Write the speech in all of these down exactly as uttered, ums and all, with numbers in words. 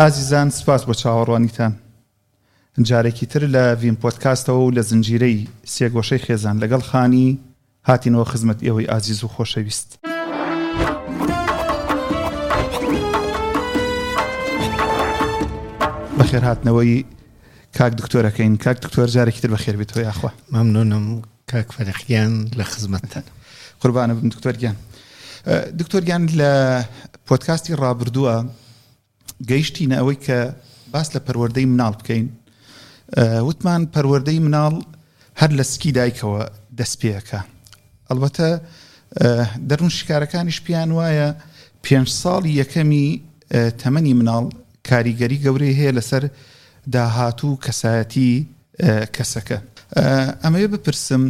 ئازیزان سپاس بۆ چاوەڕوانیتان. جارێکی تر لە ڤین پۆدکاستەوە و لە زنجیرەی سێگۆشەی خێزان لەگەڵ خانی هاتینەوە خزمەت ئێوەی ئازیز و خۆشەویست. بەخێرهاتنەوەی کاک دکتۆرەکەین. کاک دکتۆر جارێکی تر بەخێر بێتەوە یاخوا. مەمنونم کاک فەرخ گیان لە خزمەتتان. قوربانە بم دکتۆر گیان. دکتۆر گیان لە پۆدکاستی ڕابردووە گەیشتینە ئەوەی کە باس لە پەروەردەی مناڵ بکەین. وتمان پەروەردەی مناڵ هەر لە سکی دایکەوە دەست پێەکە. ئەلبەتە دەروون شکارەکانیش پێیان وایە پێنج ساڵی یەکەمی تەمەنی مناڵ کاریگەری گەورەی هەیە لەسەر داهاتوو کەسایەتی کەسەکە. ئەمەوێ بپرسم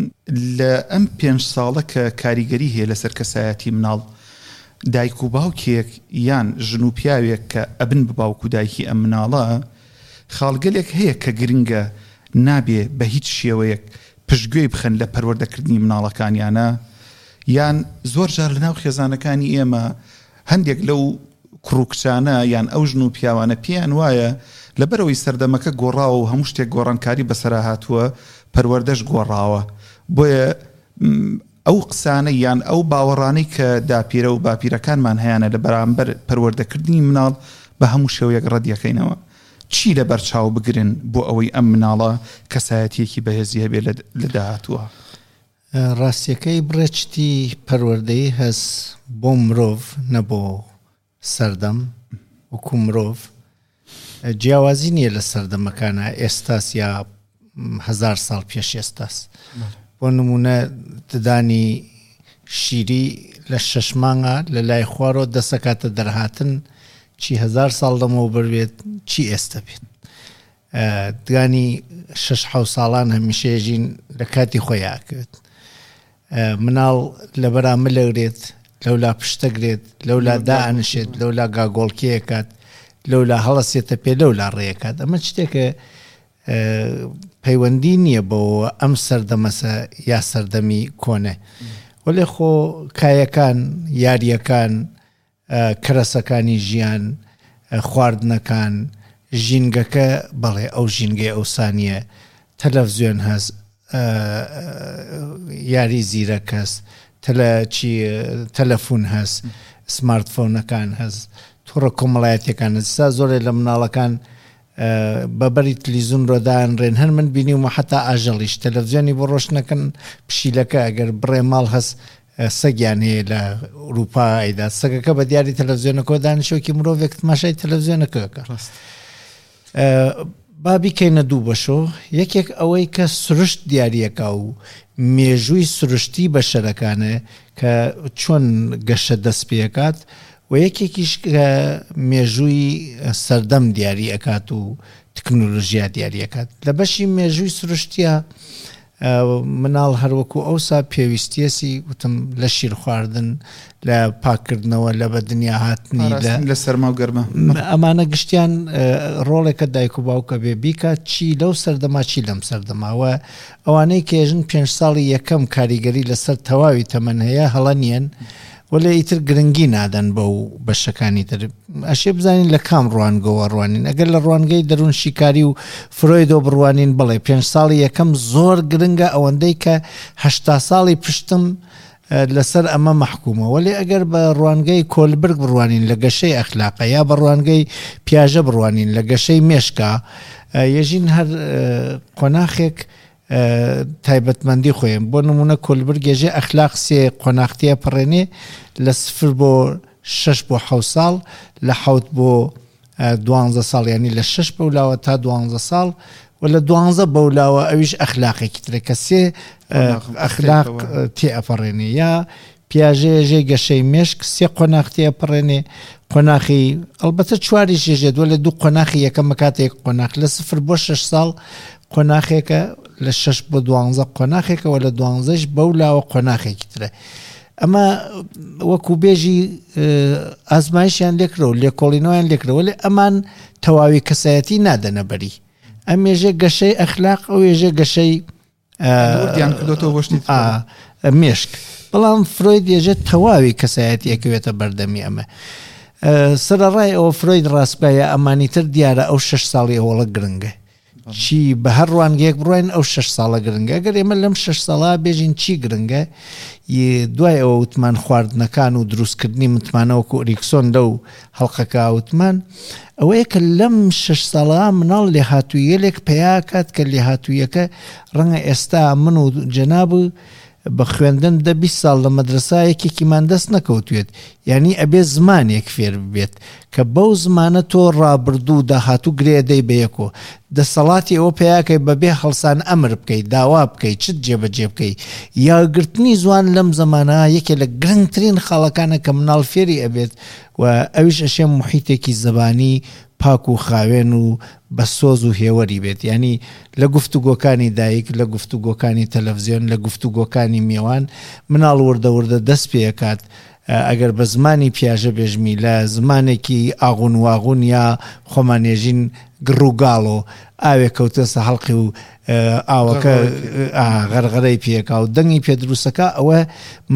لە ئەم پێنج ساڵە کە کاریگەری هەیە لەسەر کەسایەتی مناڵ، دایک و باوکێک یان ژن و پیاوێک کە ئەبن بە باوک و دایکی ئەم مناڵە، خاڵگەلێک هەیە کە گرنگە نابێ بە هیچ شێوەیەک پشتگوێی بخەن لە پەروەردەکردنی مناڵەکانیانە، یان زۆر جار لەناو خێزانەکانی ئێمە هەندێک لەو کوڕ و کچانە یان ئەو ژن و پیاوانە پێیان وایە لەبەرەوەی سەردەمەکە گۆڕاوە و هەموو شتێک گۆڕانکاری بەسەرا هاتووە، پەروەردەش گۆڕاوە، بۆیە ئەو قسانە یان ئەو باوەڕانەی کە داپیرە و باپیرەکانمان هەیانە لە بەرامبەر پەروەردەکردنی مناڵ بە هەموو شێوەیەک ڕەدیەکەینەوە. چی لەبەر چاو بگرن بۆ ئەوەی ئەم مناڵە کەسایەتیەکی بەهێزی هەبێت لە داهاتووە؟ ڕاستیەکەی بڕێچتی پەروەردەیی هەس بۆ مرۆڤ نەبۆ سەردەم. وەکو مرۆڤ جیاوازی نییە لە سەردەمەکانە ئێستاس یا هەزار ساڵ پێش ئێستاس. بۆ نمونە ددانی شیری لە شەش مانگە لە لای خوارەوە دەسەکاتە دەرهاتن، چی هەزار ساڵ لەمەوبەر بێت چی ئێستا بێت. دگانی شەش حەوت ساڵان هەمیشەژین لە کاتی خۆی ئاکرێت. مناڵ لەبەرا ملەگرێت، لەولا پشتەگرێت، لەولا دائەنشێت، لەولا گاگۆڵکێکات، لەولا هەڵەسێتە پێ، لەولا ڕێکات. ئەمە شتێکە پەیوەندی نییە بەوە ئەم سەردەمەسە یا سەردەمی کۆنە. وەلێ خۆ کایەکان، یاریەکان، کەرەسەکانی ژیان، خواردنەکان، ژینگەکە، بەڵێ ئەو ژینگەی ئەوسانیە، تەلەڤزیۆن هەست، یاری زیرەک هەست، تەلەفۆن هەست، سمارتفۆنەکان هەست، تۆڕە کۆمەڵایەتیەکان هەست. سا زۆرێ لە مناڵەکان بەبەری تلیزون ڕۆدانرێن. هەر من بینیومە حتا ئاژەڵیش تەلەڤزیۆنی بۆ ڕۆشنەکەن، پشیلەکە ئەگەر بڕێ ماڵ هەست سەگیان هەیە لە ئەوروپا ئەیدا، سەگەکە بە دیاری تەلەڤزیۆنەکەەوە دانیشۆکی مرۆڤێک تماشای تەلەڤزیۆنەکەکە. با بیکەینە دوو بەشۆ. یەکێک ئەوەی کە سروشت دیاریەکە و مێژووی سروشتی بەشەرەکانە کە چۆن گەشە دەست پێکات، و یەکێکیش کە مێژووی سەردەم دیاری ئەکات و تەکنۆلۆژیا دیاری ئەکات. لە بەشی مێژووی سروشتیە مناڵ هەروەکو ئەوسا پێویستیەسی وتم لە شیر خواردن، لە پاکردنەوە، لە بەدنیا هاتنی، لە سەرما و گەرما، ئەمانە گشتیان ڕۆڵێکە دایک و باوکە بێ بیکات چی لەو سەردەما چی لەم سەردەماوە. ئەوانەی کێژن پێنج ساڵی یەکەم کاریگەری لەسەر تەواوی تەمەن هەیە هەڵە نییەن، وەلێ ئیتر گرنگی نادەن بەو بەشەکانی تر. ئەشێ بزانین لە کام ڕوانگەوە ڕوانین. ئەگەر لە ڕوانگەی دەروون شیکاری و فرۆیدۆ بڕوانین، بڵێ پێنج ساڵی یەکەم زۆر گرنگە، ئەوەندەی کە هەشتا ساڵی پشتم لەسەر ئەمە مەحکومە. وەلێ ئەگەر بە ڕوانگەی کۆلبرگ بڕوانین لە گەشەی ئەخلاقە، یا بە ڕوانگەی پیاژە بڕوانین لە گەشەی مێشکا، یەژین هەر قۆناخێک تایبەتمەندی خۆیان. بۆ نمونە کۆلبرگ ێژێ ئەخلاق سێ قۆناختیە پەڕێنێ، لە سفر بۆ شەش بۆ حەوت ساڵ، لە حەوت بۆ دوانزە ساڵ، یعنی لە شەش بەولاوە تا دوانزە ساڵ، و لە دوانزە بەولاوە ئەویش ئەخلاقێکی ترە کە سێ ئەخلاق تێ ئەپەڕێنێ. یا پیاژێژێ گەشەی مێشک سێ قۆناغ تێ ئەپەڕێنێ، قۆناخی ئەلبەتە چواریش ێژێت، وە لە دوو قۆناخی یەکەمە کاتێک قۆناخ لە سفر بۆ شەش ساڵ قۆناخێکە، لە شەش بۆ دوانزە قۆناخێکەوە، لە دوانزەش بەولاوە قۆناخێکی ترە. ئەمە وەکو بێژی ئازمایشیان لێکرەوە، لێکۆڵینەوەیان لێکرەوە، لێ ئەمان تەواوی کەسایەتی نادەنە بەری. ئەم ێژێ گەشەی ئەخلاق، ئەو ێژێ گەشەی وردیان کردۆتەوە بۆ شتی مێشک. بەڵام فرۆید ێژێ تەواوی کەسایەتی ئەکەوێتە بەردەمی ئەمە. سەرەڕای ئەوە فرۆید ڕاستبایە ئەمانی تر دیارە ئەو شەش ساڵی ئەوڵە گرنگە، چی بە هەر ڕوانگەیەک بڕۆین ئەو شەش ساڵە گرنگە. ئەگەر ئێمە لەم شەش ساڵە بێژین چی گرنگە، دوای ئەوە وتمان خواردنەکان و دروستکردنی متمانە وەکو ئەریکسۆن لەو هەڵقەکە وتمان ئەوەیە کە لەم شەش ساڵە مناڵ لێهاتوویەلێک پەیاکات کە لێهاتوویەکە ڕەنگە ئێستا من و جەناب بە خوێندن دە بیست ساڵ لە مەدرسا یەکێکیمان دەست نەکەوتوێت، یعنی ئەبێ زمانێک فێر ببێت کە بەو زمانە تۆ ڕابردوو داهاتوو گرێدەی بەیەکۆ، دەسەڵاتی ئەوە پیاکەی بەبێ هەڵسان ئەمر بکەیت، داوا بکەیت، چت جێبەجێ بکەیت. یاگرتنی زوان لەم زەمانە یەکێ لە گرنگترین خاڵەکانە کە مناڵ فێری ئەبێت و ئەویش ئەشێ محیتێکی زەبانی پاک و خاوێن و بە سۆز و هێوەری بێت، یعنی لە گفتوگۆکانی دایک، لە گفتوگۆکانی تەلەڤزیۆن، لە گفتوگۆکانی میوان مناڵ وردە وردە دەست پێکات. ئەگەر بە زمانی پیاژە بێژمی لە زمانێکی ئاغون واغون یا خۆمانێژین گڕوگاڵۆ ئاوێ کەوتەسە هەڵقی و ئاوەکە غەرغەرەی پێکا و دەنگی پێدروستەکە، ئەوە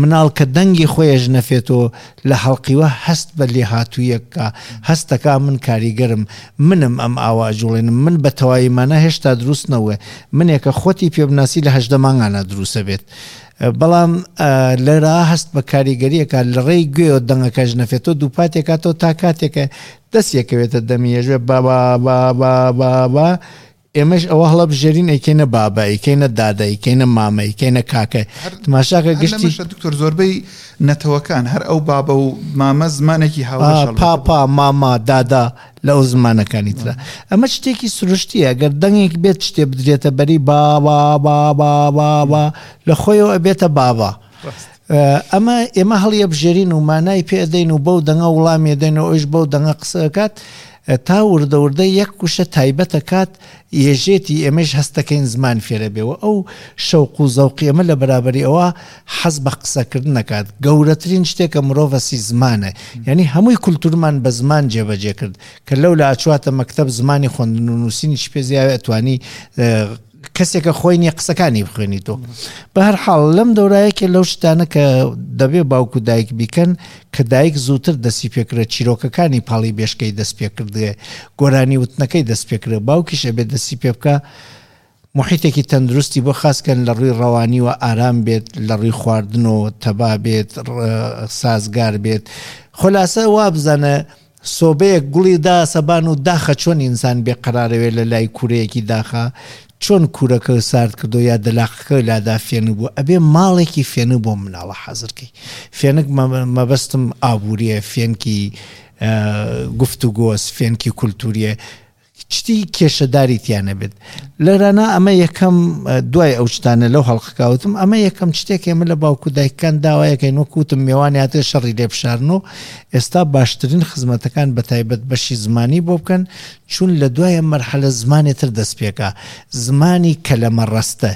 مناڵ کە دەنگی خۆیش نەفێتەوە لە هەڵقیوە هەست بە لێهاتوویەکە، هەستەکە من کاریگەرم، منم ئەم ئاوا ئەجوڵێنم، من بە تەواویمانە هێشتا دروست نەوە، منێکە خۆتی پێبناسی لە هەژدە مانگانە دروستە بێت. بەڵام لێرە هەست بە کاریگەریەکە لە ڕێی گوێ دەنگەکەش نەفێتەوە دووپاتێکاتەوە تا کاتێکە دەستیەکەوێتە دەمیێژێ با با با با با با ئێمەش ئەوە هەڵە بژێرین ئەیکەینە بابا، ئەیکەینە دادا، ئەیکەینە مامە، ئەیکەینە کاکە. تماشاکە گشتی دکتۆر زۆربەی نەتەوەکان هەر ئەو بابە و مامە زمانێکی هاوبەشە، پاپا، ماما، دادا لەو زمانەکانی ترە. ئەمە شتێکی سروشتیە، ئەگەر دەنگێک بێت شتێ بدرێتە بەری با با با با با با لە خۆیەوە ئەبێتە بابا. ئەمە ئێمە هەڵیە بژێرین و مانای پێدەین و بەو دەنگە وڵامی دەین و ئەوش بەو دەنگە قسەکات تا وردە وردە یەک کوشە تایبەتە کات یێژێتی ئێمەش هەستەکەین زمان فێرە بێەوە. ئەو شەوق و زەوقی ئێمە لە بەرابەری ئەوە حەز بە قسەکردن نەکات. گەورەترین شتێکە مرۆڤەسی زمانە، یعنی هەمووی کولتورمان بە زمان جێبەجێ کرد کە لەو لە ئاچواتە مەکتەب زمانی خوێندن و نووسینیش پێ زیاوێ ئەتوانی کەسێکە خۆی نییە قسەکانی بخوێنیتەوە. بە هەر حاڵ لەم دەورایەکێ لەو شتانە کە دەبێ باوک و دایک بیکەن کە دایک زووتر دەستی پێکرێت، چیرۆکەکانی پاڵی بێشکەی دەست پێکردێ، گۆرانی وتنەکەی دەست پێکرێت، باوکیش ئەبێت دەستی پێ بکە محیتێکی تەندروستی بۆ خاصکەن لە ڕووی ڕەوانیوە ئارام بێت، لە ڕووی خواردنەوە تەبا بێت، سازگار بێت. خۆلاسە وا بزانە سۆبەیەک گوڵی دا سەبان و داخە چۆن ئینسان بێقەرارەوێ لە لای کوورەیەکی داخە، چۆن کوورەکە سارد کردو یا دەلاقەکە لادا فێنک بوو، ئەبێ ماڵێکی فێنک بۆ مناڵە حەزرکەی. فێنک مەبەستم ئابووریە، فێنکی گفتوگۆز، فێنکی کولتوریە، شتی کێشەداری تیانە بێت. لێرانە ئەمە یەکەم دوای ئەو شتانە لەو هەڵقەکەوتم، ئەمە یەکەم شتێک ئێمە لە باوک و دایکان داوایەکەین وەکوتم میوانیاتێ شەڕی لێ بشارن و ئێستا باشترین خزمەتەکان بە تایبەت بەشی زمانی بۆ بکەن، چون لە دوای مەرحەلە زمانی تر دەست پێکا، زمانی کەلەمە ڕەستە،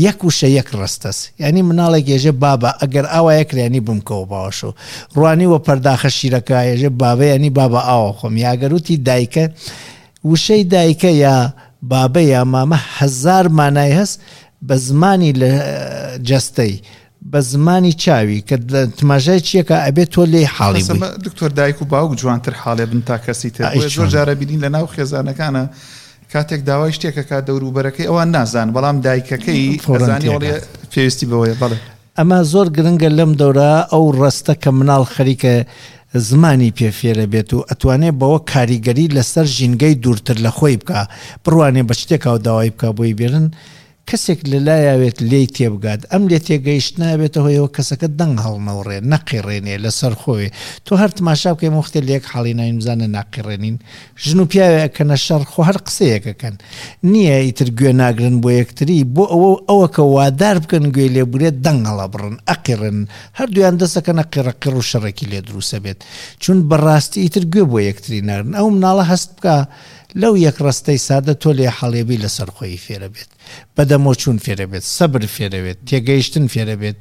یەک وشە یەک ڕەستەس. یعنی مناڵێک ێژێ بابا ئەگەر ئاوا یەکرێنی بمکەوە باوەشەوە، ڕوانی وە پەرداخە شیرەکە ێژێ بابە یعنی بابا ئاوە خۆم، یاگەروتی دایکە وشەی دایکە یا بابە یا مامە هەزار مانای هەست بە زمانی لە جەستەی، بە زمانی چاوی کە تماشای چیەکە ئەبێت تۆ لێی حاڵی بووی. دکتۆر دایک و باوک جوانتر حاڵێ بن تا کەسی تر. زۆر جارە بینین لە ناو خێزانەکانە کاتێک داوای شتێکەکە دەوروبەرەکەی ئەوان نازان، بەڵام دایکەکەی ئەزانی وەڵێ پێویستی بەوەیە. بەڵێ ئەمە زۆر گرنگە لەم دەورە ئەو ڕەستە کە مناڵ خەریکە زمانی پێفێرە بێت و ئەتوانێت بەوە کاریگەری لەسەر ژینگەی دوورتر لە خۆی بکە، بڕوانێ بە شتێکاو داوای بکە بۆی بێرن، کەسێک لە لایاوێت لێی تێبگات. ئەم لێ تێگەیشت نابێتە هۆیەوە کەسەکە دەنگ هەڵنەوڕێ، نەقیڕێنێ لەسەر خۆی. تۆ هەر تماشا بکەی وەختێ لە یەک حاڵی ناوین بزانە ناقیڕێنین، ژن و پیاوێ ئەکەنە شەڕ، خۆ هەر قسەیەکەکەن نییە ئیتر گوێ ناگرن بۆ یەکتری، بۆ ئەوە ئەوە کە وادار بکەن گوێ لێبورێت دەنگ هەڵەبڕن، ئەقیڕن، هەردوویان دەستەکەنە قیڕەقیڕ و شەڕێکی لێ دروستە بێت، چون بەڕاستی ئیتر گوێ بۆ یەکتری نارن. ئەو مناڵە هەست بکە لەو یەک ڕستەی سادە تۆ لێ حاڵێبی لەسەر خۆی فێرە بێت، بەدەمۆچوون فێرە بێت، سەبر فێرە بێت، تێگەیشتن فێرە بێت.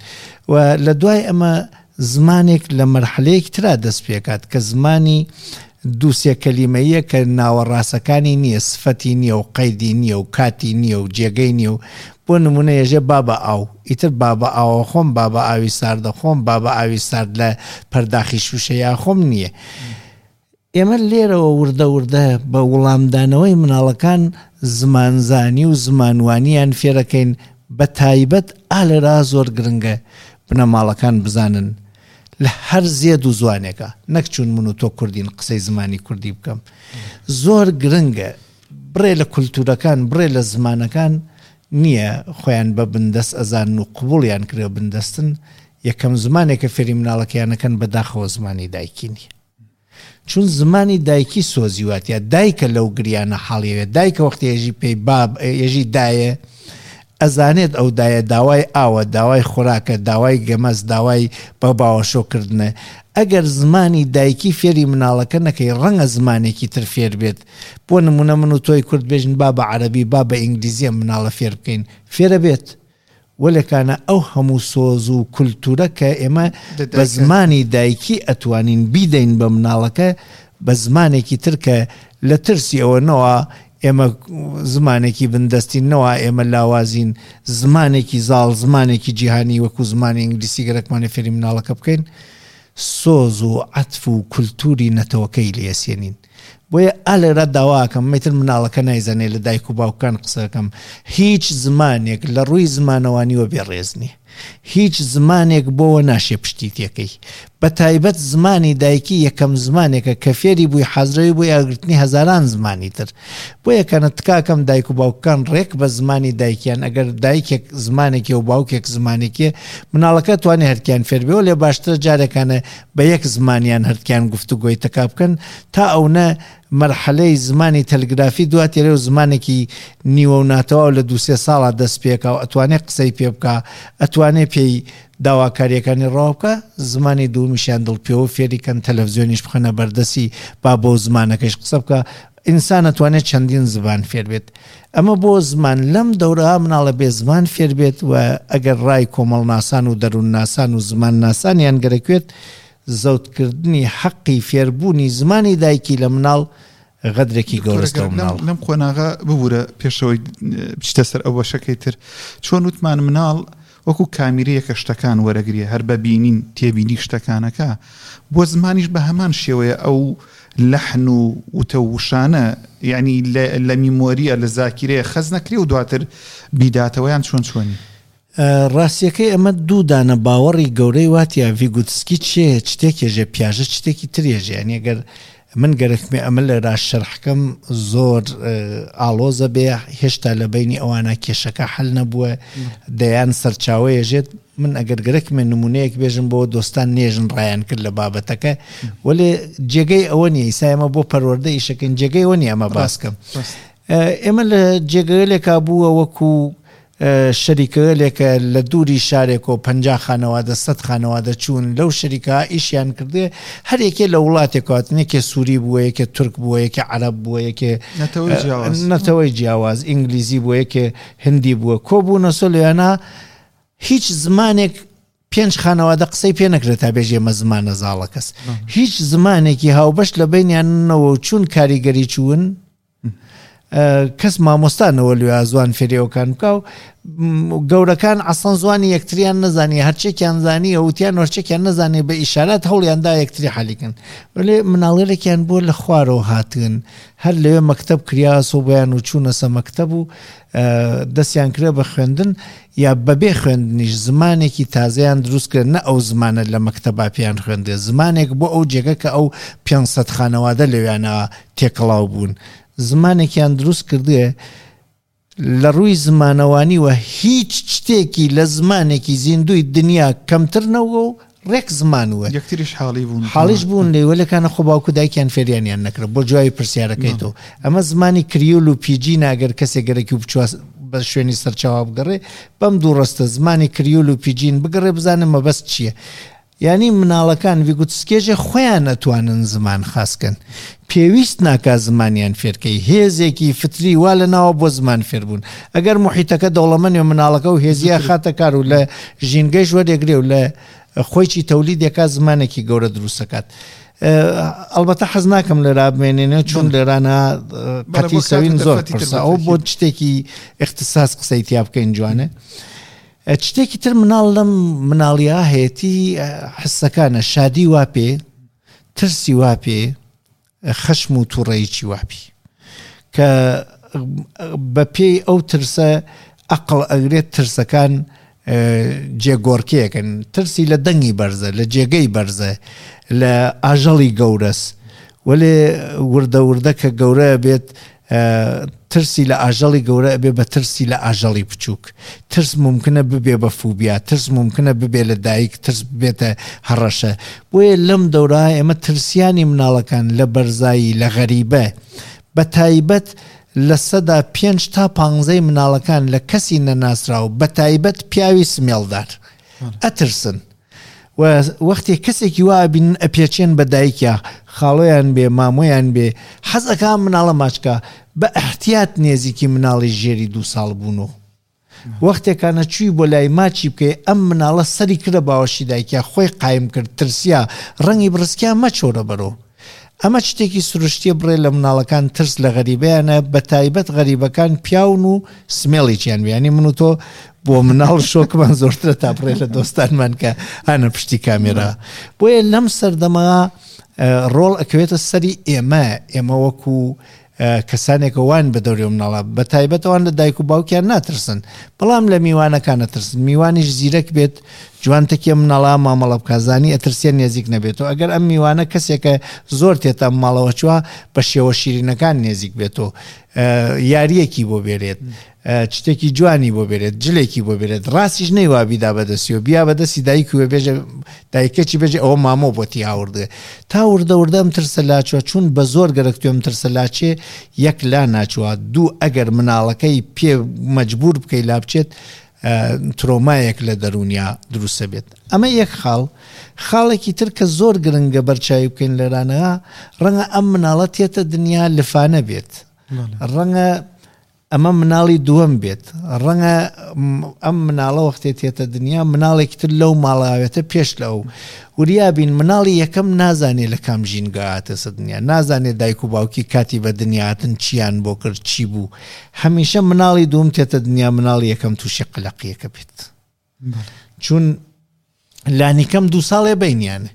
و لە دوای ئەمە زمانێک لە مەرحەلەیەک ترا دەست پێکات کە زمانی دوو سێ کەلیمەیە کە ناوەڕاستەکانی نییە، سفەتی نییە و قەیدی نییە و کاتی نییە و جێگەی نییە و بۆ نمونە ێژێ بابە ئاو، ئیتر بابە ئاوە خۆم، بابە ئاوی ساردە خۆم، بابە ئاوی سارد لە پەرداخی شوشەیە خۆم نییە. ئێمە لێرەوە وردە وردە بە وەڵامدانەوەی مناڵەکان زمانزانی و زمانوانیان فێرەکەین. بە تایبەت ئالێرا زۆر گرنگە بنەماڵەکان بزانن لە هەر زێد و زوانێکە، نەک چون من و تۆ کوردین قسەی زمانی کوردی بکەم. زۆر گرنگە بڕێ لە کولتورەکان، بڕێ لە زمانەکان نییە خۆیان بە بندەست ئەزانن و قبوڵیان کرێ بندەستن. یەکەم زمانێکە فێری مناڵەکەیانەکەن بەداخەوە زمانی دایکی نییە، چون زمانی دایکی سۆزی واتە دایکە لەو گریانە حاڵیەوێت. دایکە وەختی ێژی پێی باب ێژی دایە ئەزانێت ئەو دایە داوای ئاوە، داوای خۆراکە، داوای گەمەز، داوای بە باوەشۆکردنە. ئەگەر زمانی دایکی فێری مناڵەکە نەکەی ڕەنگە زمانێکی تر فێر بێت. بۆ نمونە من و تۆی کورد بێژن با بە عەرەبی با بە ئینگلیزیە مناڵە فێر بکەین، فێرە بێت. وەلێکانە ئەو هەموو سۆز و کولتورە کە ئێمە بە زمانی دایکی ئەتوانین بیدەین بە مناڵەکە، بە زمانێکی تر کە لە ترسی ئەوە نەوە ئێمە زمانێکی بندەستین، نەوە ئێمە لاوازین، زمانێکی زاڵ، زمانێکی جیهانی وەکو زمانی ئینگلیسی گەرەکمانە فێری مناڵەکە بکەین، سۆز و عەتف و کولتوری نەتەوەکەی لێسێنین. بۆیە ئالێرە داواکەم مەتر مناڵەکە نایزانێ لە دایک و باوکان قسەکەم، هیچ زمانێک لە ڕووی زمانەوانیوە بێڕێز نییە، هیچ زمانێک بۆوە ناشێ پشتی تێکەی. بە تایبەت زمانی دایکی یەکەم زمانێکە کە فێری بووی حازرەوی بۆی ئاگرتنی هەزاران زمانی تر. بۆ یەکانە تکاکەم دایک و باوکان ڕێک بە زمانی دایکیان، ئەگەر دایکێک زمانێکی و باوکێک زمانێکی، مناڵەکە توانێ هەرکیان فێربێ، لێ باشترە جارێکانە بە یەک زمانیان هەرکیان گفتوگۆی تەکا بکەن تا ئەو نە مەرحەلەی زمانی تەلگرافی دواتێرێ و زمانێکی نیوە و ناتەواو لە دووسێ ساڵا دەست پێکا و ئەتوانێ قسەی پێ بکا، ئەتوانێ پێی داواکاریەکانی ڕاو بکە. زمانی دوومیشیان دڵپێوە فێریکەن، تەلەڤزیۆنیش بخەنە بەردەسی با بۆ زمانەکەش قسە بکە. ئینسان ئەتوانێت چەندین زبان فێر بێت. ئەمە بۆ زمان لەم دەورە مناڵە بێ زمان فێر بێت و ئەگەر ڕای کۆمەڵناسان و دەروونناسان و زمانناسانیان گەرەکوێت، زەوتکردنی حەقی فێربوونی زمانی دایکی لە مناڵ غەدرێکی گەورەستە مناڵ. لەم قۆناغە ببوورە پێشەوەی بچتە سەر ئەو بەشەکەی تر، چۆن وتمان مناڵ وەکو کامیرەیەکە شتەکان وەرەگرێ، هەر بە بینین تێبینی شتەکانەکە، بۆ زمانیش بە هەمان شێوەیە ئەو لەحن و وتە وشانە یعنی لە میمۆریە لە زاکیرەیە خەز نەکرێ و دواتر بیداتەوەیان چۆن چۆنی. ڕاستیەکەی ئەمە دوو دانە باوەڕی گەورەی واتە ڤیگوتسکی چێ شتێکێژێ پیاژە شتێکی ترێژێ. یعنی ئەگەر من گەرەکمێ ئەمە لێرا شەرحکەم زۆر ئاڵۆزە بێ، هێشتا لە بینی ئەوانە کێشەکە حل نەبووە، دەیان سەرچاوەیەژێت. من ئەگەر گەرەکمێ نمونەیەک بێژم بۆ دۆستان نێژن ڕایان کرد لە بابەتەکە، وەلێ جێگەی ئەوە نییە. ئیسا ئێمە بۆ پەروەردە ئیشەکەین، جێگەی ئەوە نییە ئەمە باسکەم. ئێمە لە جێگەیەلێکا بووە وەکو شەریکەلێکە لە دووری شارێک و پەنجا خانەوادە سەد خانەوادە چوون لەو شەریکە ئیشیان کردێ، هەر یەکێ لە وڵاتێک هاتن، یەکێ سووری بووە، یەکێ تورک بووە، یەکێ عەرەب بووە، یەکێ نەتەوەی جیاواز، ئینگلیزی بووە، یەکێ هندی بووە، کۆبوونە سۆ لەوێنا هیچ زمانێک پێنج خانەوادە قسەی پێ نەکرێت تا بێژێ ئێمە زمانە زاڵە کەس. هیچ زمانێکی هاوبەش لە بینیانەوە چوون کاریگەری چوون، کەس مامۆستانەوە لێ زوان فێریەوەکان بکە و گەورەکان ئەسڵەن زوانی یەکتریان نەزانی، هەرچێکیان زانی ئەوتیان هەرچێکیان نەزانێ بە ئیشارات هەوڵیاندا یەکتری حالیکن. وەلێ مناڵێکیان بۆ لە خوارەوە هاتن، هەر لەوێ مەکتەب کریاسۆ بۆیان و چوونەسە مەکتەب و دەستیان کرێ بە خوێندن یا بەبێ خوێندنیش زمانێکی تازەیان دروست کرد، نە ئەو زمانە لە مەکتەبا پێیان خوێندێ، زمانێک بۆ ئەو جێگە کە ئەو پێنج سەد خانەوادە لەویانە تێکەڵاو بوون، زمانێکیان دروست کردێ لە ڕووی زمانەوانیوە هیچ شتێکی لە زمانێکی زیندوی دنیا کەمتر نەوە و ڕێک زمانوە یەکتریش حاڵی بوون، حاڵیش بوون لێ وەلەکانە خۆ باوکو دایکیان فێریانیان نەکرد. بۆ جوابی پرسیارەکەی تۆ، ئەمە زمانی کریول و پیجین ئەگەر کەسێک گەرەکی و بچوە بە شوێنی سەرچاوە بگەڕێ، بەم دوو ڕستە زمانی کریول و پیجین بگەڕێ بزانە مەبەست چییە. یعنی مناڵەکان ڤیگوتسکێژێ خۆیان ئەتوانن زمان خاسکەن، پێویست ناکا زمانیان فێرکەی، هێزێکی فتری وا لە ناوە بۆ زمان فێربوون. ئەگەر محیتەکە دەوڵەمەنی و مناڵەکە و هێزیە خاتە کار و لە ژینگەیش وەرێگرێ و لە خۆیچی تەولیدێکا زمانێکی گەورە دروستەکات. ئەلبەتە حەز ناکەم لێرا بمێنێنێ چون لێرانە قەتی سەوین زۆر پرسە، ئەو بۆ شتێکی اختصاص قسەی تیا بکەین جوانە. شتێکی تر مناڵ لەم مناڵیا هەیەتی حسەکانە، شادی وا پێ، ترسی وا پێ، خەشم و تووڕەیەکی وابی کە بەپێی ئەو ترسە ئەقڵ ئەگرێت ترسەکان جێگۆڕکێکن. ترسی لە دەنگی بەرزە، لە جێگەی بەرزە، لە ئاژەڵی گەورەس، وەلێ وردە وردە کە گەورە بێت ترسی لە ئاژەڵی گەورە ئەبێ بە ترسی لە ئاژەڵی بچووک. ترس ممکنە ببێ بە فوبیا، ترس ممکنە ببێ لە دایک، ترس ببێتە هەڕەشە. بۆیە لەم دەورە ئێمە ترسیانی مناڵەکان لە بەرزایی، لە غەریبە، بە تایبەت لە سەدا پێنج تا پانزەی مناڵەکان لە کەسی نەناسراو، بە تایبەت پیاوی سمێڵدار ئەترسن. و وەختی کەسێکی وا ئەبینن ئەپێچێن بە دایکیا، خاڵۆیان بێ، مامۆیان بێ، حەز ئەکا مناڵە ماچکا، بە احتیاط نێزیکی مناڵی ژێری دوو ساڵ بوون. وەختێکانە چووی بۆ لای ماچی بکەی، ئەم مناڵە سەری کردە باوەشی دایکیا، خۆی قایم کرد، ترسیا، ڕەنگی بڕسکیا مەچۆرە بەرەوە. ئەمە شتێکی سروشتیە بڕێ لە مناڵەکان ترس لە غەریبەیانە، بە تایبەت غەریبەکان پیاون و سمێڵێکیان بێ. یعنی من و تۆ بۆ مناڵ شۆکمان زۆرترە تا بڕێ لە دۆستانمان کە هانە پشتی کامێرا. بۆیە لەم سەردەمە ڕۆڵ ئەکەوێتە سەری ئێمە، ئێمە وەکو کەسانێکە وان بە دەوری مناڵە، بە تایبەت ئەوان لە دایک و باوکیان ناترسن، بەڵام لە میوانەکان نەترسن. میوانیش زیرەک بێت، جوانتەکی مناڵە مامەڵە بکا، زانی ئەترسیان نێزیک نەبێتەوە. ئەگەر ئەم میوانە کەسێکە زۆر تێتە ماڵەوە چووە، بە شێوە شیرینەکان نێزیک بێتەوە، یاریەکی بۆ بێرێت، شتێکی جوانی بۆ بێرێت، جلێکی بۆ بێرێت، ڕاستیش نەیوا بیدا بەدەستیەوە، بیا بەدەستی دایک وێ بێژە، دایکەچی بێژێ ئەوە مامۆ بۆتی هاوردێ. تا وردە وردە ئەم ترسە لاچووە، چون بە زۆر گەرەکتوێ ئەم ترسە لاچێ، یەک لا ناچووە، دوو ئەگەر مناڵەکەی پێ مەجبور بکەی لا بچێت، ترۆمایەک لە دەروونیا دروستە بێت. ئەمە یەک خاڵ. خاڵێکی تر کە زۆر گرنگە بەرچاوی بکەین لێرانەوە، ڕەنگە ئەم مناڵە تێتە دنیا لفانە بێت، ڕەنگە ئەمە مناڵی دووەم بێت، ڕەنگە ئەم مناڵە وەختێ تێتە دنیا مناڵێکی تر لەو ماڵاوێتە پێش لە ئەو. وریابین مناڵی یەکەم نازانێ لە کام ژینگە هاتەسە دنیا، نازانێ دایک و باوکی کاتی بە دنیاتن چیان بۆ کرد، چی بوو. هەمیشە مناڵی دووەم تێتە دنیا، مناڵی یەکەم تووشی قەلەقیەکە بێت، چون لانیکەم دوو ساڵێ بینیانە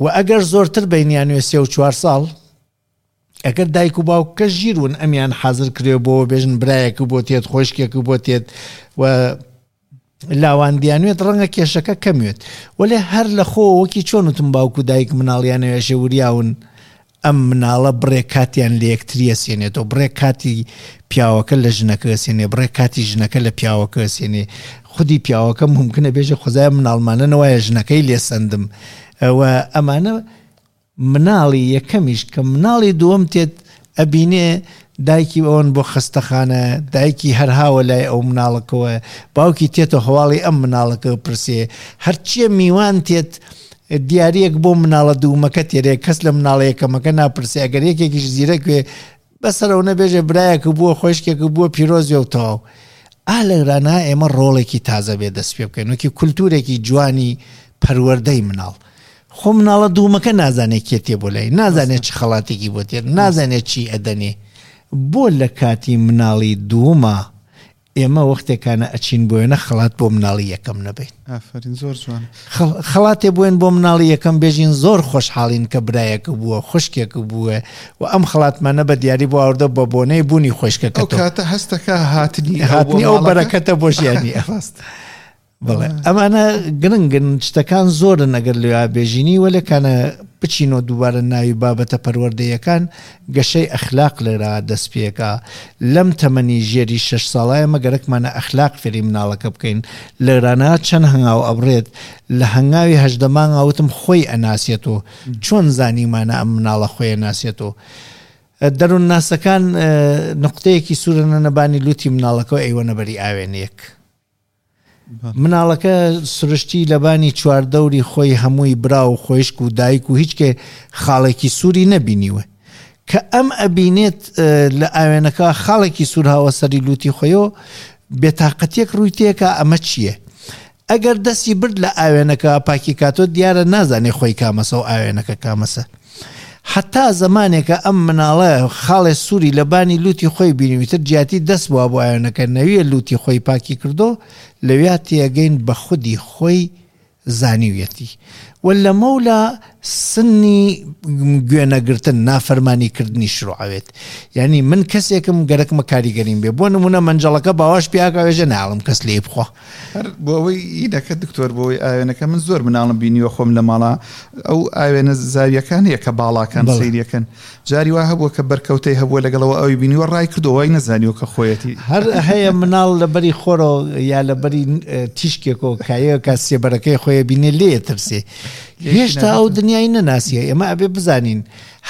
و ئەگەر زۆرتر بینیانوێ سێ و چوار ساڵ، ئەگەر دایک و باوکە ژیرون ئەمیان حاضر کرێ بۆ بێژن برایەک بۆ تێت، خۆشکێک بۆ تێت و لاواندیانوێت، ڕەنگە کێشەکە کەموێت. وەلێ هەر لە خۆ وەکی چۆن وتم باوک و دایک مناڵیانەوێشێ وریاون، ئەم مناڵە بڕێ کاتیان لە یەکتریە سێنێتەوە، بڕێ کاتی پیاوەکە لە ژنەکە سێنێ، بڕێ کاتی ژنەکە لە پیاوەکە سێنێ. خودی پیاوەکە ممکنە بێژە خۆزای مناڵمانە نەوایە ژنەکەی لێسەندم. و ئەمانە مناڵی یەکەمیش کە مناڵی دووەم تێت ئەبینێ دایکی ئەوەن بۆ خەستەخانە، دایکی هەرهاوە لای ئەو مناڵەکەوە، باوکی تێتە هەواڵی ئەم مناڵەکە پرسێ، هەرچیە میوان تێت دیارەیەک بۆ مناڵە دوومەکە تێرێ، کەس لە مناڵە یەکەمەکە ناپرسێ. ئەگەر یەکێکیش زیرەک بێ بەسەرەوە نەبێژێ برایەک بووە، خۆشکێک بووە، پیرۆزیە و تەواو. ئا لەگرانە ئێمە ڕۆڵێکی تازە بێ دەست پێ بکەین، وەکی کولتورێکی جوانی پەروەردەی مناڵ. خۆ مناڵە دوومەکە نازانێت کێ تێ بۆ لای، نازانێت چ خەڵاتێکی بۆ تێت، نازانێت چی ئەدەنێ. بۆ لە کاتی مناڵی دوومە ئێمە وەختێکانە ئەچین بۆیەنە خەڵات بۆ مناڵی یەکەم نەبین. ئافەرین، زۆر جوان. خەڵاتێ بووین بۆ مناڵی یەکەم بێژین زۆر خۆشحاڵین کە برایەک بووە، خوشکێک بووە و ئەم خەڵاتمانە بە دیاری بۆ ئاوردە بە بۆنەی بوونی خۆشکەکە. ئەو کاتە هەستەکە هاتنی هاتنی ئەو بەرەکەتە بۆ ژیانی. ڕاست. بەڵێ ئەمانە گرنگن، شتەکان زۆرن ئەگەر لەوێ بێژینی، وەلێکانە بچینەوە دووبارە ناوی بابەتە پەروەردەیەکان، گەشەی ئەخلاق لێرە دەست پێکا. لەم تەمەنی ژێری شەش ساڵایە مەگەرەکمانە ئەخلاق فێری مناڵەکە بکەین. لێرانە چەند هەنگاو ئەبڕێت، لە هەنگاوی هەژدە مانگ ئاوتم خۆی ئەناسێتەوە. چۆن زانیمانە ئەم مناڵە خۆی ئەناسێتەوە؟ دەروونناسەکان نقطەیەکی سوورە نەبانی لوتی مناڵەکەەوە ئەیوەنە بەری ئاوێنێک. مناڵەکە سروشتی لەبانی چواردەوری خۆی هەمووی برا و خۆشک و دایک و هیچ کێ خاڵێکی سووری نەبینیوە. کە ئەم ئەبینێت لە ئاوێنەکە خاڵێکی سوور هاوە سەری لوتی خۆیەوە، بێتاقەتێک ڕووی تێکا ئەمە چییە؟ ئەگەر دەستی برد لە ئاوێنەکە پاکی کاتۆ دیارە نازانێ خۆی کامەسە و ئاوێنەکە کامەسە. حتا زمانێکە ئەم مناڵە خاڵێ سووری لەبانی لوتی خۆی بینیویتر جیاتی دەست بووە بۆ ئاوێنەکە نەویە لوتی خۆی پاکی کردو، لەویا تێگەین بە خودی خۆی زانیویەتی. و لەمەولا سنی گوێنەگرتن نافەرمانیکردنی شروعەوێت. یعنی من کەسێکم گەرەکمە کاریگەریم بێ، بۆ نمونە مەنجەڵەکە باواش پیاکاوێژە ناڵم کەس لێ بخوا. هەر بۆ ئەوەی ئیدەکە دکتۆر، بۆ ئەوەی ئاوێنەکە من زۆر مناڵم بینیوە خۆم لە ماڵا، ئەو ئاوێنە زاویەکان هەیە کە باڵاکان سەیریەکەن، جاری وا هەبووە کە بەرکەوتەی هەبووە لەگەڵەوە ئەوی بینیوە ڕای کردەوە وای نەزانیوە کە خۆیەتی. هەر هەیە مناڵ لەبەری خۆرەوە یا لەبەری تیشکێکەوە کایەکە کە سێبەرەکەی خۆیە بینێ لێ ترسێ، هێشتا ئەو دنیای نەناسیە. ئێمە ئەبێ بزانین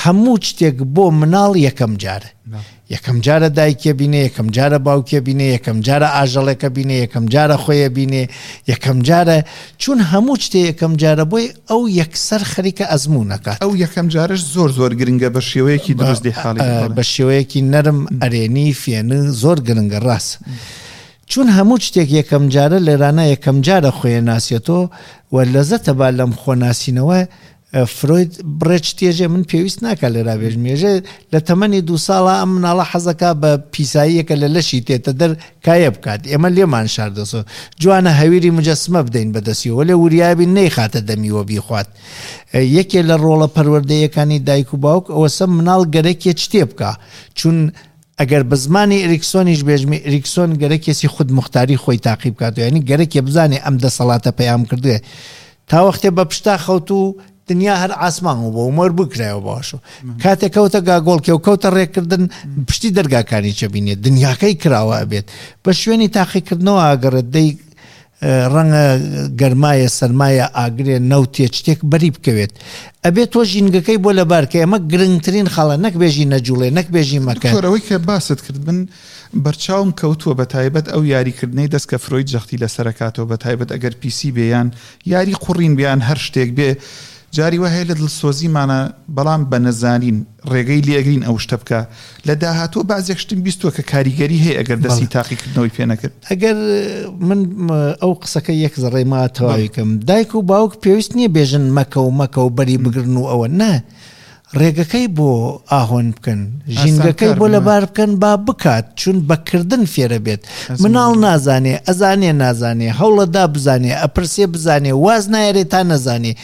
هەموو شتێک بۆ مناڵ یەکەم جارە، یەکەم جارە دایکێ بینێ، یەکەم جارە باوکێ بینێ، یەکەم جارە ئاژەڵێکە بینێ، یەکەم جارە خۆیە بینێ، یەکەم جارە، چون هەموو شتێ یەکەم جارە بۆی ئەو یەکسەر خەریکە ئەزموونەکات. ئەو یەکەم جارش زۆر زۆر گرنگە بە شێوەیەکی دروست لێ حاڵی، بە شێوەیەکی نەرم ئەرێنی فێنە زۆر گرنگە ڕاست. چون هەموو شتێک یەکەم جارە لێرانە یەکەم جارە خۆیە ناسیێتەوە و لەزەتە با لەم خۆناسینەوە. فرۆید بڕێچ تێژێ من پێویست ناکە لێرا بێژمێژێ لە تەمەنی دوو ساڵە ئەم مناڵە حەزەکە بە پیساییەکە لە لەشی تێتە دەر کایە بکات، ئێمە لێمان شاردەسۆ جوانە هەویری مجەسمە بدەین بەدەستیەوە لێ وریابین نەیخاتە دەمیوە بیخوات. یەکێ لە ڕۆڵە پەروەردەیەکانی دایک و باوک ئەوەسە مناڵ گەرەکێ شتێ بکا، چون ئەگەر بە زمانی ئەریکسۆنیش بێژمی ئەریکسۆن گەرەکێسی خود مختاری خۆی تاقی بکاتەوە، یعنی گەرەکێ بزانێ ئەم دەسەڵاتە پەیام کردوێ تا وەختێ بە پشتا خەوت و دنیا هەر ئاسمان بوو و مەر بکرایەوە باشو. کاتێک کەوتە گاگۆڵکێ و کەوتە ڕێکردن پشتی دەرگاکانی چەبینێت دنیاکەی کراوە ئەبێت بە شوێنی تاقیکردنەوە ئاگەڕێت، دەی ڕەنگە گەرمایە سەرمایە ئاگرێ نەوتێ شتێک بەری بکەوێت، ئەبێت تۆ ژینگەکەی بۆ لەبارکە. ئەمە گرنگترین خاڵە، نەک بێژی نەجوڵێ، نەک بێژی مەکە. دکتۆر ئەوەی کە باست کرد من بەرچاوم کەوتووە بە تایبەت ئەو یاریکردنەی دەست کە فرۆید جەختی لەسەرکاتەوە، بە تایبەت ئەگەر پیسی بێیان یاری قوڕین بیان هەر شتێک بێ، جاری وا هەیە لە دڵسۆزیمانە بەڵام بە نەزانین ڕێگەی لێگرین ئەو شتە بکە. لە داهاتوو بەعزێک شتم بیستووە کە کاریگەری هەیە ئەگەر دەستی تاقیکردنەوەی پێ نەکرد. ئەگەر من ئەو قسەکە یەک زەڕەی ما تەواوی کەم، دایک و باوک پێویست نییە بێژن مەکە و مەکە و بەری بگرن و ئەوە، نا، ڕێگەکەی بۆ ئاهۆن بکەن، ژینگەکەی بۆ لەبار بکەن با بکات، چون بەکردن فێرە بێت. مناڵ نازانێ، ئەزانێ نازانێ، هەوڵەدا بزانێ، ئەپرسێ بزانێ، واز نایەرێ تا نەزانێ،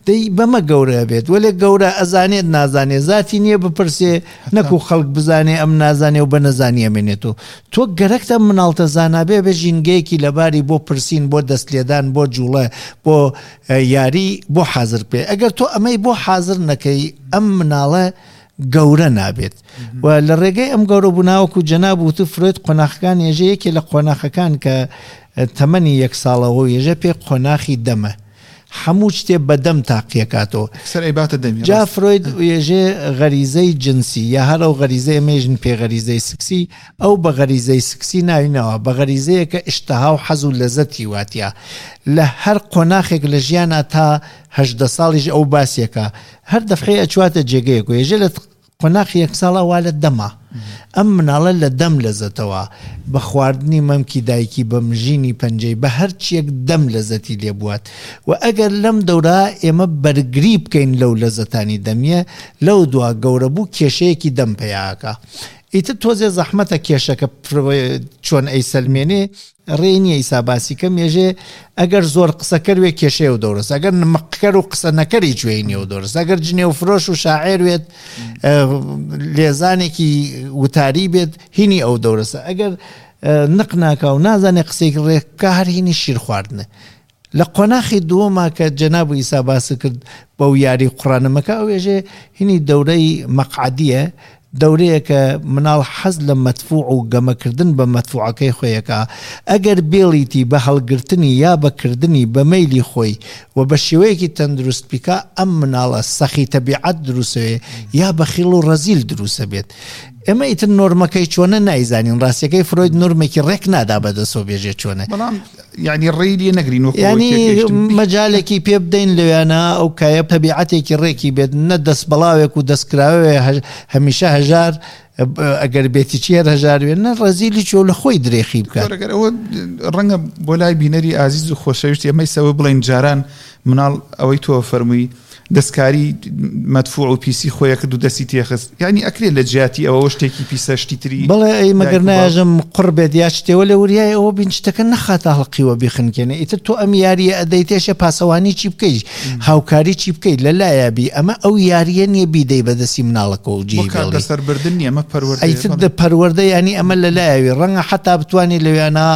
دەی بەمە گەورە بێت. وەلێ گەورە ئەزانێت نازانێ، ذاتی نییە بپرسێ نەکو خەڵک بزانێ ئەم نازانێ و بە نەزانی ئەمێنێتەوە. تۆ گەرەکتە مناڵتە زانابێ بە ژینگەیەکی لەباری بۆ پرسین، بۆ دەستلێدان، بۆ جوڵە، بۆ یاری، بۆ حاضر بێ. ئەگەر تۆ ئەمەی بۆ حاضر نەکەی ئەم مناڵە گەورە نابێت. و لە ڕێگەی ئەم گەورە بووناوەکو جەناب وتو فرۆید قۆناخەکان ێژە یەکێ لە قۆناخەکان کە تەمەنی یەک ساڵەوە ێژە پێ قۆناخی دەمە، هەموو شتێ بەدەم تاقیەکاتەوە. جا فرۆید ێژێ غەریزەی جنسی یا هەر ئەو غەریزەی مێژن پێ غەریزەی سکسی، ئەو بە غەریزەی سکسی ناوینەوە، بە غەریزەیە کە ئیشتها و حەز و لەزەتی واتە. لە هەر قۆناخێک لە ژیانە تا هەژدە ساڵیش ئەو باسیەکە هەر دەفعی ئەچواتە جێگەیەک و ێژێ لە قۆناخی یەک ساڵە وا لە دەما ئەم مناڵە لە دەم لەزەتەوە، بە خواردنی مەمکی دایکی، بە مژینی پەنجەی، بە هەرچیەک دەم لەزەتی لێبوات. و ئەگەر لەم دەورا ئێمە بەرگری بکەین لەو لەزەتانی دەمیە، لەو دوا گەورە بوو کێشەیەکی دەم پەیاکە. ئیتر تۆزێ زەحمەتە کێشەکە چۆن ئەیسەلمێنێ، ڕێ نییە ئیسا باسی کەم. ێژێ ئەگەر زۆر قسەکەر وێ کێشەیە و دەورەس، ئەگەر نمەقکەر و قسە نەکەری گوێی نییە و دەورەس، ئەگەر جنێو فرۆش و شاعێر وێت لێزانێکی وتاری بێت هینی ئەو دەورەسە، ئەگەر نق ناکا و نازانێ قسەیەکی ڕێک بکا هەر هینی شیر خواردنە. لە قۆناخی دووەما کە جەناب و ئیسا باس کرد بەو یاری قوڕانەمەکە، ئەو ێژێ هینی دەورەی مەقعەدیە، دەورەیە کە مناڵ حەز لە مەدفوع و گەمەکردن بە مەدفوعەکەی خۆیەکە. ئەگەر بێڵیتی بە هەڵگرتنی یا بەکردنی بە مەیلی خۆی و بە شێوەیەکی تەندروست پیکا، ئەم مناڵە سەخی تەبیعەت دروستەوێ یا بەخیڵ و ڕەزیل دروستە بێت. ئێمە ئیتر نۆرمەکەی چۆنە نایزانین، ڕاستیەکەی فرۆید نۆرمێکی ڕێک نادا بەدەسەوە بێژێ چۆنە، بەڵام یعنی ڕێی لێ نەگرین وەکو یعنی تێگەیشتن. مەجالێکی پێ بدەین لەویانە ئەو کایە تەبیعەتێکی ڕێکی بێت، نە دەست بەڵاوێک و دەستکراوێ هەمیشە هەژار، ئەگەر بێتی چی هەر هەژار بێت، نە ڕەزیلی چۆ لە خۆی درێخی بکات. ئەگەر ئەوە ڕەنگە بۆ لای بینەری ئازیز و خۆشەویست ئێمەی سەوە بڵێن جاران مناڵ ئەوەی تۆ فەرمووی دەستکاری مەدفوع و پیسی خۆیە کرد و دەستی تێخست. یعنی ئەکرێ لە جیاتی ئەوە شتێکی پیسە شتی تری. بەڵێ ئەی مەگەر نایژم قڕ بێت یا شتێوە لە وریای ئەوە بین شتەکە نەخاتە هەڵقیوە بیخنکێنێ. ئیتر تۆ ئەم یاریە ئەدەیتێشە پاسەوانی چی بکەیت، هاوکاری چی بکەیت لە لایە بی. ئەمە ئەو یاریە نییە بیدەی بەدەستی مناڵەکە و جێی بێڵی. لەسەربردن نییە، ئەمە پەروەردەیە. ئیتر پەروەردە یعنی ئەمە لە لایەوی ڕەنگە حتا بتوانی لەویانە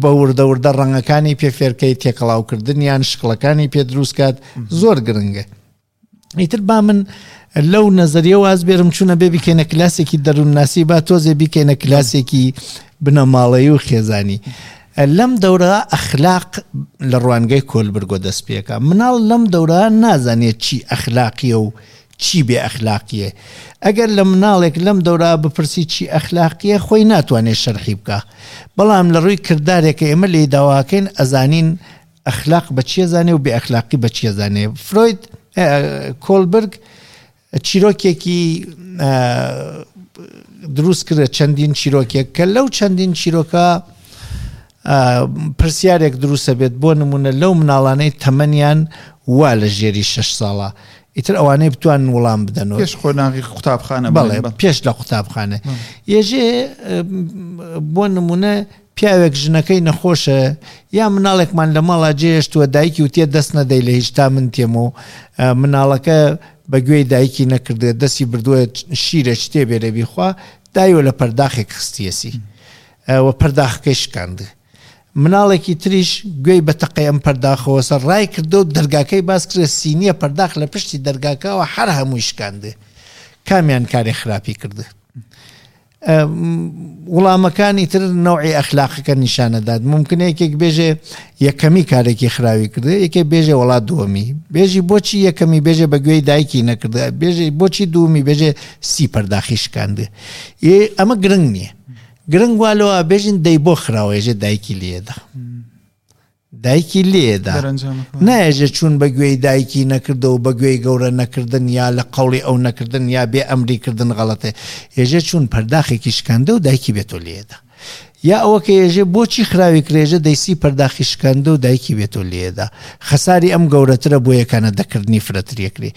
بە وردە وردە ڕەنگەکانی پێ فێرکەی، تێکەڵاوکردنیان، شکڵەکانی پێ دروست کات، زۆر گرنگە. ئیتر با من لەو نەزەریە واز بێرم چوونە بێ بیکەینە کلاسێکی دەروونناسی، با تۆزێ بیکەینە کلاسێکی بنەماڵەیی و خێزانی. لەم دەورە ئەخلاق لە ڕوانگەی کۆلبرگۆ دەست پێکا. مناڵ لەم دەورە نازانێت چی ئەخلاقیە و چی بێ ئەخلاقیە. ئەگەر لە مناڵێک لەم دەورە بپرسی چی ئەخلاقیە خۆی ناتوانێت شەرحی بکا، بەڵام لە ڕووی کردارێکە ئێمە لێی داواکەین ئەزانین ئەخلاق بە چیە زانێ و بێ ئەخلاقی بە چیە زانێ. فرۆید کۆلبرگ چیرۆکێکی دروست کردە، چەندین چیرۆکێک کە لەو چەندین چیرۆکە پرسیارێک دروستە بێت. بۆ نمونە لەو مناڵانەی تەمەنیان وا لە ژێری شەش ساڵە، ئیتر ئەوانەی بتوانن وەڵام بدەنەوە پێش قۆناغی قوتابخانە. بەڵێ پێش لە قوتابخانە. یێژێ بۆ نمونە پیاوێک ژنەکەی نەخۆشە یا مناڵێکمان لە ماڵا جێهێشتووە، دایکی وتیە دەست نەدەی لە هیچ تا من تێم و مناڵەکە بە گوێی دایکی نەکردێت، دەستی بردووە شیرە شتێ بێرە بیخوا، دایوە لە پەرداخێک خستیەسی و پەرداخەکەی شکاند. مناڵێکی تریش گوێی بە تەقەی ئەم پەرداخەوە سەر ڕای کردو و دەرگاکەی باس کرد، سینیە پەرداخ لە پشتی دەرگاکەوە هەر هەمووی شکاندێ. کامیان کاری خراپی کرده؟ وڵامەکانی تر نەوعی ئەخلاقەکە نیشانەدات. ممکنە یەکێک بێژێ یەکەمی کارێکی خراوی کرده، یەکێک بێژێ وڵات دووەمی، بێژی بۆچی یەکەمی بێژێ بە گوێی دایکی نەکرده، بێژێ بۆچی دووەمی بێژێ سی پەرداخی شکانده. ئەمە گرنگ نییە. گرنگ وا لەوە بێژین دەی بۆ خراوە، ێژێ دایکی لێدا، دایکی لێدا نایێژێ چوون بە گوێی دایکی نەکردە و بە گوێی گەورە نەکردن یا لە قەوڵی ئەو نەکردن یا بێ ئەمری کردن غەڵەتێ. ێژێ چوون پەرداخێکی شکاندە و دایکی بێتۆ لێدا. یا ئەوە کە ێژێ بۆچی خراوی کرێژە دەیسی پەرداخی شکاندە و دایکی بێتۆ لێدا، خەساری ئەم گەورەترە بۆ یەکانە دەکردنی فرەتر یەکرێ.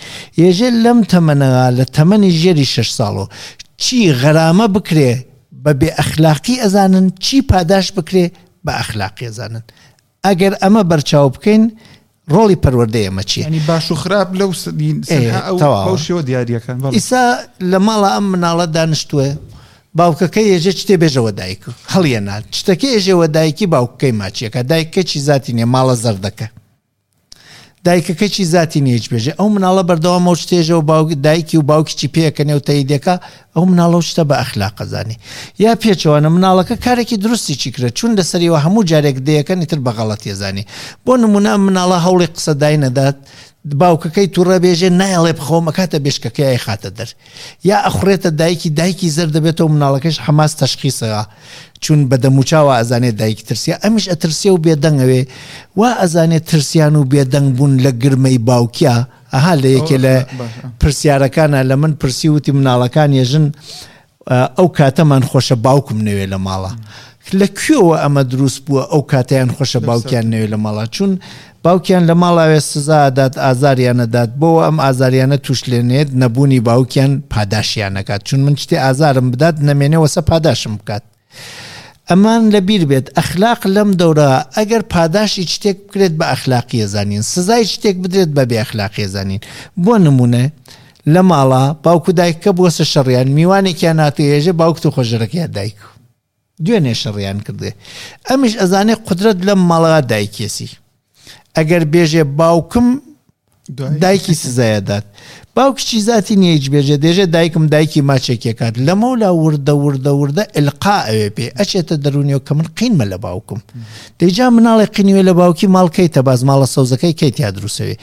ێژێ لەم تەمەنەوە لە تەمەنی ژێری شەش ساڵۆ چی غەرامە بکرێ بە بێ ئەخلاقی ئەزانن، چی پاداش بکرێ بە ئەخلاقی ئەزانن. ئەگەر ئەمە بەرچاو بکەین ڕۆڵی پەروەردەی ئێمە چییە؟ یعنی باش و خراپ لەو ئەو شێوە دیاریەکان. ئیسا لە ماڵە ئەم مناڵە دانیشتووە، باوکەکەی ێژێ شتێ بێژەوە دایک هەڵیەنا، شتەکەی ێژێوە دایکی باوکەکەی ماچیەکە، دایکەکەی چی زاتی نییە، ماڵە زەردەکە، دایکەکەی چی زاتی نییە هیچ بێژێ. ئەو مناڵە بەردەوام ئەو شتێژەوە دایکی و باوکی چی پێکەنێ و تەیدەکە، ئەو مناڵە و شتە بە ئەخلاقە زانی. یا پێچەوانە مناڵەکە کارێکی دروستی چی کرد، چون لەسەریەوە هەموو جارێک دەیەکەن ئیتر بە غەڵەتی زانی. بۆ نمونە ئەم مناڵە هەوڵی قسەدای نەدات، باوکەکەی تووڕە بێژێ نایەڵێ بخەوم ئەکاتە بێشکەکەی ئەیخاتە دەر، یا ئەخورێتە دایکی، دایکی زەرد دەبێتەوە، مناڵەکەش حەماس تەشخیصەوە چون بە دەموچاوە ئەزانێت دایکی ترسیە، ئەمیش ئەترسیە و بێدەنگەوێ، وا ئەزانێت ترسیان و بێدەنگ بوون لە گرمەی باوکیا. ئەها لە یەکێ لە پرسیارەکانە لە من پرسی وتی مناڵەکان یەژن ئەو کاتەمان خۆشە باوکم نەوێ لە ماڵە. لە کوێوە ئەمە دروست بووە ئەو کاتەیان خۆشە باوکیان نەوێ لە ماڵە؟ چون باوکیان لە ماڵاوێ سزا دات، ئازاریانە دات، بۆ ئەم ئازاریانە توش لێنێت نەبوونی باوکیان پاداشیان نەکات، چون من شتێ ئازارم بدات نەمێنێ وەسە پاداشم بکات. ئەمان لەبیر بێت ئەخلاق لەم دەورە ئەگەر پاداشی شتێک بکرێت بە ئەخلاقیە زانین، سزای شتێک بدرێت بە بێ ئەخلاقیە زانین. بۆ نمونە لە ماڵە باوکو دایکە بۆسە شەڕیان، میوانێکیان هاتێژێ باوکت و خۆژەرەکەیان دایک دوێنێ شەڕیان کردێ، ئەمیش ئەزانێ قدرەت لەم ماڵە دایکێسی. ئەگەر بێژێ باوکم دایکی سزایەدات، باوکیی زاتی نییە هیچ بێژێ، دێژێ دایکم دایکی ماچێکێکات. لەمەولا وردە وردە وردە ئلقا ئەوێ پێ ئەچێتە دەرونیەوە کە من قینمە لە باوکم. دەیجا مناڵێ قینیوێ لە باوکی ماڵ کەیتە باز، ماڵە سەوزەکەی کەیتیا دروستەوێ.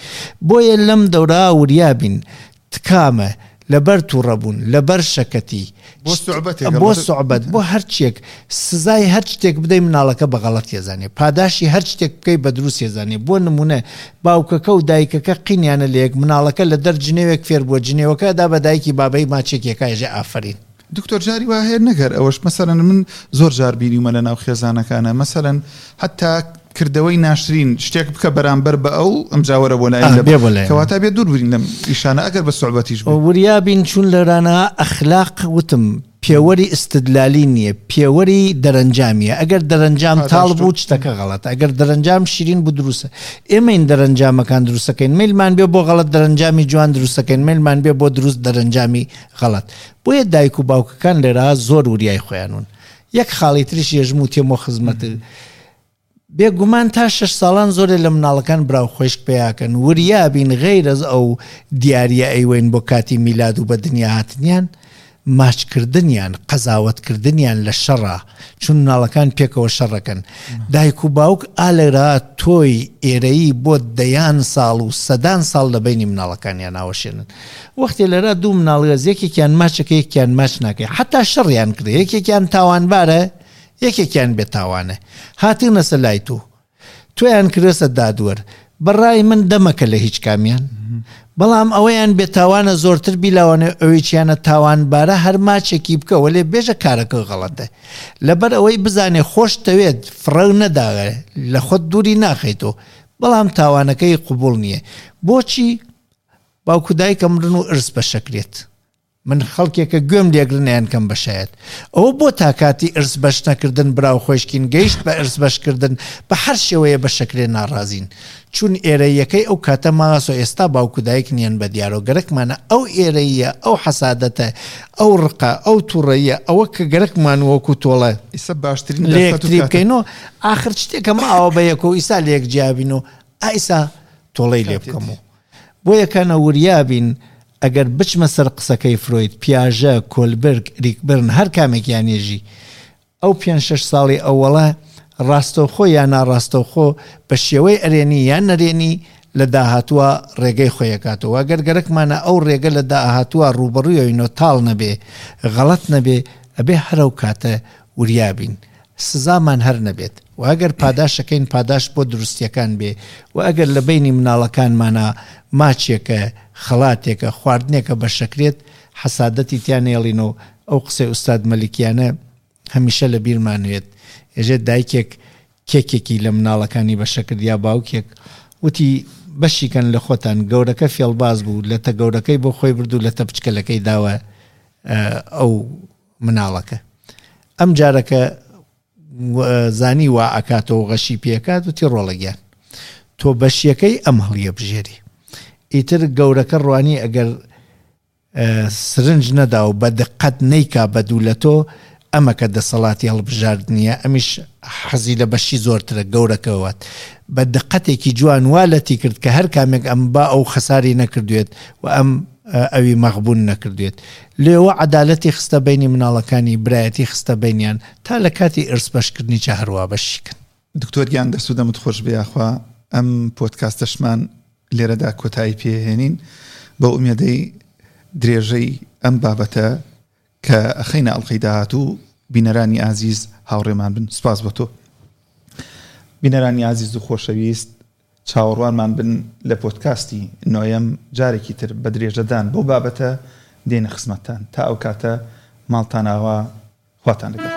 بۆیە لەم دەورا وریا بین، تکامە لەبەر تووڕەبوون، لەبەر شەکەتی، بۆ سوعبەت، بۆ هەرچیەک سزای هەر شتێک بدەی مناڵەکە بە غەڵەت ێزانێ، پاداشی هەر شتێک بکەی بە دروست ێزانێ. بۆ نمونە باوکەکە و دایکەکە قینیانە لە یەک، مناڵەکە لە دەر جنێوێک فێر بووە، جنێوەکە دا بە دایکی بابەی ماچێکێکا ێژێ ئافەرین. دکتۆر جاری وا هەیە نەگەر ئەوەش مەسەلەن من زۆر جار بینیومە لە ناو خێزانەکانە، مەسەلەن حتا کردەوەی ناشرین شتێک بکە بەرامبەر بە ئەو ئەمجا وەرە بۆ لای کەواتە بێ دوور بین لەم ئیشانە ئەگەر بە سوعبەتیش بێ. وریا بین چون لەرانە ئەخلاق وتم پێوەری ئیستدلالی نییە، پێوەری دەرەنجامیە. ئەگەر دەرەنجام تاڵ بوو شتەکە غەڵەتە، ئەگەر دەرەنجام شیرین بوو دروستە. ئێمەین دەرەنجامەکان دروستەکەین، مەیلمان بێ بۆ غەڵەت دەرەنجامی جوان دروستەکەین، مەیلمان بێ بۆ دروست دەرەنجامی غەڵەت. بۆیە دایک و باوکەکان لێرە زۆر وریای خۆیانون. یەک خاڵی تریش یەژم و تێمۆ خزمەت بێگومان تا شەش ساڵان زۆرێ لە مناڵەکان براو خۆشک پیاکەن. وریا بین غەیرەز ئەو دیاریە ئەیوەین بۆ کاتی میلاد و بە دنیا هاتنیان، ماچکردنیان، قەزاوەتکردنیان لە شەڕە، چون مناڵەکان پێکەوە شەڕەکەن. دایک و باوک ئالێرا تۆی ئێرەیی بۆ دەیان ساڵ و سەدان ساڵ لە بینی مناڵەکانیان ناوەشێنن. وەختێ لێرا دوو مناڵگەز یەکێکیان ماچەکە یەکیان ماچ ناکەی، حتا شەڕیان کرد، یەکێکیان تاوانبارە یەکێکیان بێتاوانە. هاتنەسە لای تۆ، تۆیان کردەسە دادوەر. بەڕای من دەمەکە لە هیچ کامیان، بەڵام ئەوەیان بێتاوانە زۆرتر بیلاوانە ئەوەیچیانە تاوانبارە هەر ماچێکی بکە، وەلێ بێژە کارەکە غەڵەتە. لەبەر ئەوەی بزانێ خۆش تەوێت فڕەو نەداغێ، لە خۆت دووری ناخەیتەوە، بەڵام تاوانەکەی قبوڵ نییە. بۆچی باوکو دایکە مرن و ئرس بەشەکرێت؟ من خەڵکێکە گوێم لێگرنیان کەم بەشایەت. ئەوە بۆ تا کاتی ئرس بەش نەکردن براو خۆشکین گەیشت بە ئرس بەشکردن بە هەر شێوەیە بەشەکرێ ناڕازین، چون ئێرەیەکەی ئەو کاتە ماسۆ ئێستا باوکو دایک نییەن بە دیارەوە. گەرەکمانە ئەو ئێرەیە، ئەو حەسادەتە، ئەو ڕقە، ئەو تووڕەیە، ئەوە کە گەرەکمان وەکو تۆڵە ئیسا باشترین لە یەکتری بکەینەوە. ئاخر شتێکە ماوە بە یەکەوە ئیسا لە یەک جیابین و ئایسا تۆڵەی لێ بکەمەوە. بۆ یەکانە وریا بین. ئەگەر بچمە سەر قسەکەی فرۆید، پیاژە، کۆلبرگ، ئەریک برن، هەر کامێکیان یێژی ئەو پێنج شەش ساڵی ئەوەڵە ڕاستەوخۆ یان ناڕاستەوخۆ بە شێوەی ئەرێنی یان نەرێنی لە داهاتووە ڕێگەی خۆیەکاتەوە. ئەگەر گەرەکمانە ئەو ڕێگە لە داهاتووە ڕووبەڕوویەوەینەوە تاڵ نەبێ، غەڵەت نەبێ، ئەبێ هەر ئەو کاتە وریا بین، سزامان هەر نەبێت. و ئەگەر پاداشەکەین پاداش بۆ دروستیەکان بێ، و ئەگەر لە بینی مناڵەکانمانە ماچێکە، خەڵاتێکە، خواردنێکە بەشەکرێت، حەسادەتی تیان نێڵینەوە. ئەو قسەی ئوستاد مەلیکیانە هەمیشە لە بیرمانوێت. ئێژێت دایکێک کێکێکی لە مناڵەکانی بەشەکرد یا باوکێک، وتی بەشیکەن لە خۆتان، گەورەکە فێڵباز بوو، لەتە گەورەکەی بۆ خۆی برد و لەتە بچکەلەکەی داوە ئەو مناڵەکە. ئەم جارەکە زانی وا ئەکاتەوە غەشی پێکات، وتی ڕۆڵە گیان تۆ بەشیەکەی ئەم هەڵیە بژێری. ئیتر گەورەکە ڕوانی ئەگەر سرنج نەدا و بە دقەت نەیکا بە دوو لە تۆ، ئەمە کە دەسەڵاتی هەڵبژاردنیە، ئەمیش حەزی لە بەشی زۆرترە گەورەکەوات. بە دقەتێکی جوان وا لەتی کرد کە هەر کامێک ئەم با ئەو خەساری نەکردوێت و ئەم ئەوی مەغبوون نەکردوێت. لێوە عەدالەتی خستە بینی مناڵەکانی، برایەتی خستە بینیان تا لە کاتی ئرس بەشکردنی چە هەروە بەشیکن. دکتۆر گیان دەست و دەمت خۆش بێ، یاخوا ئەم پۆدکاستەشمان لێرەدا کۆتایی پێهێنین بە ئومێدەی درێژەی ئەم بابەتە کە ئەخەینە ئەڵقەی داهاتوو. بینەرانی ئازیز هاوڕێمان بن. سپاس بە تۆ. بینەرانی ئازیز و خۆشەویست، چاوەڕوانمان بن لە پۆدکاستی نۆیەم جارێکی تر بە درێژەدان بۆ بابەتە دێنە خزمەتتان. تا ئەو کاتە ماڵتان ئاوا، خواتان لەگەڵ.